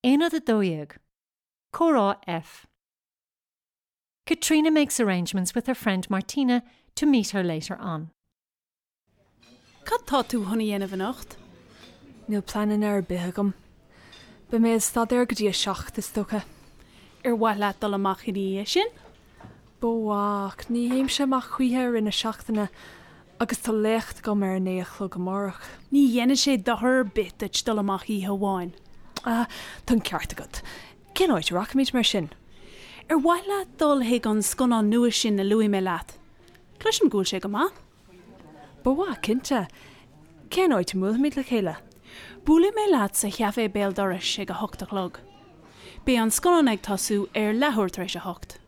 Aonad 12. Comhrá F. Caitríona makes arrangements with her friend Martina to meet her later on. Cad tá tú chun a dhéanamh anocht? Níl pleananna ar bith agam. Beidh mé ag staidéar go dtí a 7, is dócha. Ar mhaith leat dul amach ina dhiaidh sin? Ba mhaith, ach ní théimse amach choíche i rith na seachtaine agus tá léacht agam ar a naoi a chlog amárach. Ní dhéanfaidh sé dochar ar bith duit dul amach oíche amháin. Ah, tá an ceart agat. Cén áit a rachaimid mar sin? Ar mhaith leat dul chuig an scannán nua sin a luaigh mé leat? Cloisim go bhfuil sé go maith. Ba mhaith, cinnte. Cén áit a mbuailfimid le chéile? Buailfidh mé leat sa chaifé béal dorais ag a hocht a chlog. Beidh an scannán ag tosú ar leathuair tar éis a hocht.